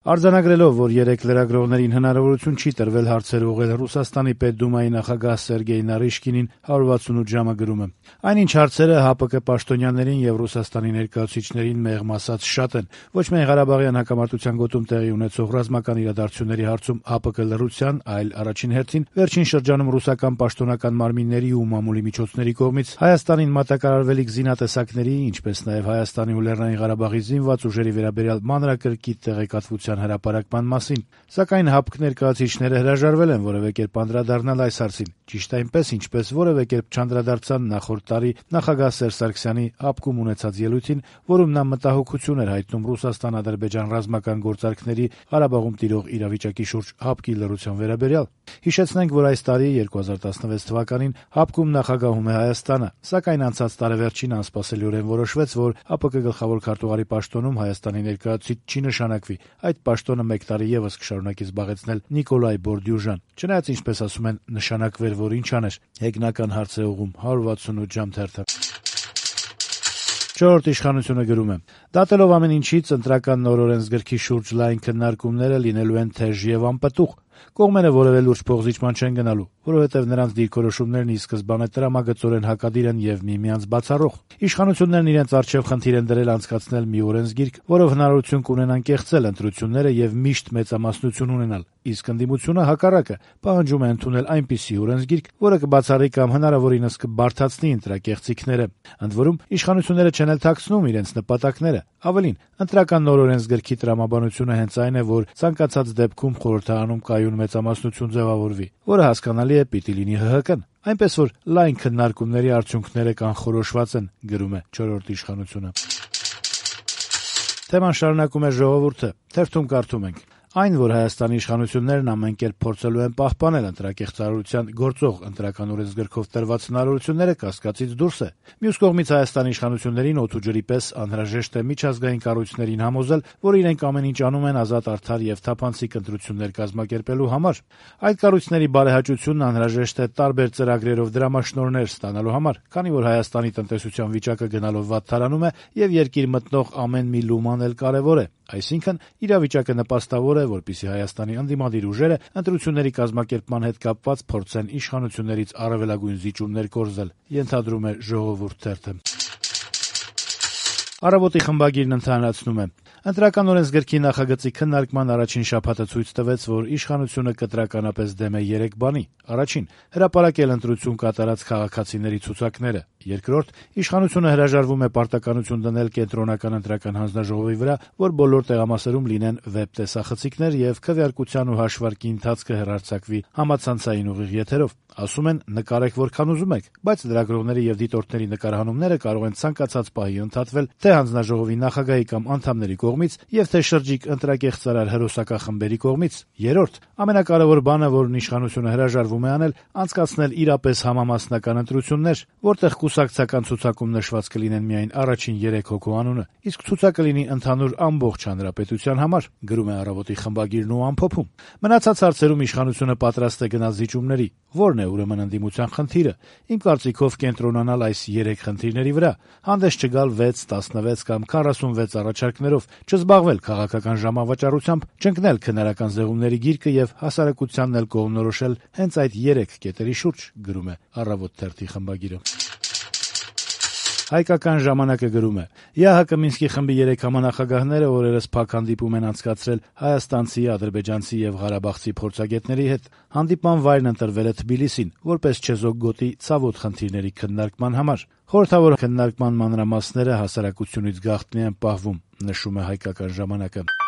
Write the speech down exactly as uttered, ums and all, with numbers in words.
Արձանագրելով, որ երեք լրագրողներին հնարավորություն չի տրվել հարցեր ուղղել Ռուսաստանի Պետդումայի նախագահ Սերգեյ Նարիշկինին, one sixty-eight ժամը գրում է. այնինչ հարցերը ՀԱՊԿ պաշտոնյաներին եւ Ռուսաստանի ներկայացուցիչներին մեղմ ասած շատ են. ոչ միայն Ղարաբաղյան հակամարտության գոտում տեղի ունեցող ռազմական իրադարձությունների հարցում ՀԱՊԿ լռության, այլ առաջին հերթին վերջին շրջանում ռուսական պաշտոնական մարմինների ու մամուլի միջոցների կողմից Հայաստանին մատակարարվելիք զինատեսակների, ինչպես նաեւ Հայաստանի ու Լեռնային Ղարաբաղի զինված ուժերի վերաբերյալ մանրակրկիտ տեղեկատվության հրապարակման մասին, սակայն ՀԱՊԿ ներկայացուցիչները հրաժարվել են որևէ կերպ անդրադառնալ այս հարցին, ճիշտ այնպես, ինչպես որևէ կերպ չանդրադարձան նախորդ տարի նախագահ Սերժ Սարգսյանի ՀԱՊԿ-ում ունեցած ելույթին, որում նա մտահոգություն էր հայտնում Ռուսաստան-Ադրբեջան ռազմական գործարքների Ղարաբաղում տիրող իրավիճակի շուրջ ՀԱՊԿ-ի լռության վերաբերյալ։ Հիշեցնենք, որ այս տարի twenty sixteen թվականին ՀԱՊԿ-ում նախագահում է Հայաստանը, սակայն անցած տարեվերջին անսպասելիորեն որոշվեց, որ ՀԱՊԿ գլխավոր քարտուղարի պաշտոնում Հայաստանի ներկայացուցիչ չի նշանակվի, այդ պաշտոնը մեկ տարի եւս կշարունակի զբաղեցնել Նիկոլայ Բորդյուժան, չնայած, ինչպես ասում են, նշանակվեր, որ ինչ աներ։ Հեգնական հարց է ուղղում one sixty-eight ժամ թերթը։ Չորրորդ իշխանությունը գրում է. դատելով ամեն ինչից, ընտրական նոր օրենսգրքի շուրջ լայն քննարկումները լինելու են թեժ եւ անպտուղ։ Կողմերը որևէ լուրջ փոխզիջման չեն գնալու, որովհետեւ նրանց դիրքորոշումներն ի սկզբանե տրամագծորեն հակադիր են եւ միմյանց բացառող։ Իշխանություններն իրենց առջեւ խնդիր են դրել անցկացնել մի օրենսգիրք, որով հնարավորություն կունենան կեղծել ընտրությունները եւ միշտ մեծամասնություն ունենալ, իսկ ընդդիմությունը հակառակը պահանջում է ընդունել այնպիսի օրենսգիրք, որը կբացառի կամ հնարավորինս կբարդացնի ընտրակեղծիքները։ Ընդ որում, իշխանությունները չեն էլ թաքցնում իրենց նպատակները։ Ավելին, ընտրական նոր օրենսգրքի տրամաբանությունը հենց այն է, որ ցանկացած դեպքում խորհրդարանում կայուն մեծամասնություն ձևավորվի, որը հասկանալի է պիտի լինի ՀՀԿ-ն, այնպես որ լայն քննարկումների արդյունքները կանխորոշված են, գրում է չորրորդ իշխանությունը։ Թեման շարունակում է Ժողովուրդը, թերթում կարդում ենք. այն, որ Հայաստանի իշխանություններն ամեն կերպ փորձելու են պահպանել ընտրակեղծարարության գործող ընտրական օրենսգրքով տրված հնարավորությունները, կասկածից դուրս է։ Մյուս կողմից Հայաստանի իշխանություններին օդ ու ջրի պես անհրաժեշտ է միջազգային կառույցներին համոզել, որ իրենք ամեն ինչ անում են ազատ, արդար եւ թափանցիկ ընտրություններ կազմակերպելու համար։ Այդ կառույցների բարեհաճությունն անհրաժեշտ է տարբեր ծրագրերով դրամաշնորհներ ստանալու համար, քանի որ Հայաստանի տնտեսության վիճակը գնալով վատթարանում է եւ երկիր մտնող ամեն մի լուման էլ կարեւոր է։ Այսինքն, իրավիճակը նպաստավոր է, որպեսզի Հայաստանի ընդդիմադիր ուժերը ընտրությունների կազմակերպման հետ կապված փորձեն իշխանություններից առավելագույն զիջումներ կորզել, ենթադրում է Ժողովուրդ թերթը։ Առավոտի խմբագիրն ընդհանրացնում է. Ընտրական օրենսգրքի նախագծի քննարկման առաջին շաբաթը ցույց տվեց, որ իշխանությունը կտրականապես դեմ է երեք բանի. առաջին, հրապարակել ընտրություն կատարած քաղաքացիների ցուցակները. երկրորդ, իշխանությունը հրաժարվում է պարտականություն դնել կենտրոնական ընտրական հանձնաժողովի վրա, որ բոլոր տեղամասերում լինեն վեբ տեսախցիկներ եւ քվեարկության ու հաշվարկի ընթացքը հեռարձակվի համացանցային ուղիղ եթերով։ Ասում են, նկարեք որքան ուզում եք, բայց լրագրողների եւ դիտորդների նկարահանումները կարող են ցանկացած պահի ընդհատվել թե հանձնաժողովի նախագահի կամ անդամների կողմից եւ թե շրջիկ ընտրակեղծարար հերոսակախմբերի կողմից։ Երրորդ, ամենակարևոր բանը, որն իշխանությունը հրաժարվում է անել, անցկացնել իրապես համամասնական ընտրություններ, որտեղ կուսակցական ցուցակում նշված կլինեն միայն առաջին երեք հոգու անունը, իսկ ցուցակը լինի ընդհանուր ամբողջ հանրապետության համար, գրում է Առավոտի խմբագիրն ու ամփոփում։ Մնացած հարցերում իշխանությունը պատրաստ է գնալ զիջումների։ Որն է ուրեմն ընդդիմության խնդիրը։ Իմ կարծիքով կենտրոնանալ այս երեք խնդիրների վրա, հանդես չգալ վեց, տասնվեց կամ քառասունվեց առաջարկներով, չզբաղվել քաղաքական ժամավաճառությամբ, չընկնել քննարական զեղումների գիրկը եւ հասարակությանն էլ կողմնորոշել հենց այդ երեք կետերի շուրջ, գրում է Առավոտ թերթի խմբագիրը։ Հայկական ժամանակը գրում է. ԵԱՀԿ Մինսկի խմբի երեք համանախագահները օրերս փակ հանդիպում են անցկացրել հայաստանցի, ադրբեջանցի եւ ղարաբաղցի փորձագետների հետ։ Հանդիպման վայրն ընտրվել է Թբիլիսին, որպես չեզոք գոտի ցավոտ խնդիրների քննարկման համար։ Խորհրդավոր քննարկման մանրամասները հասարակությունից գաղտնի են պահվում, նշում է Հայկական ժամանակը։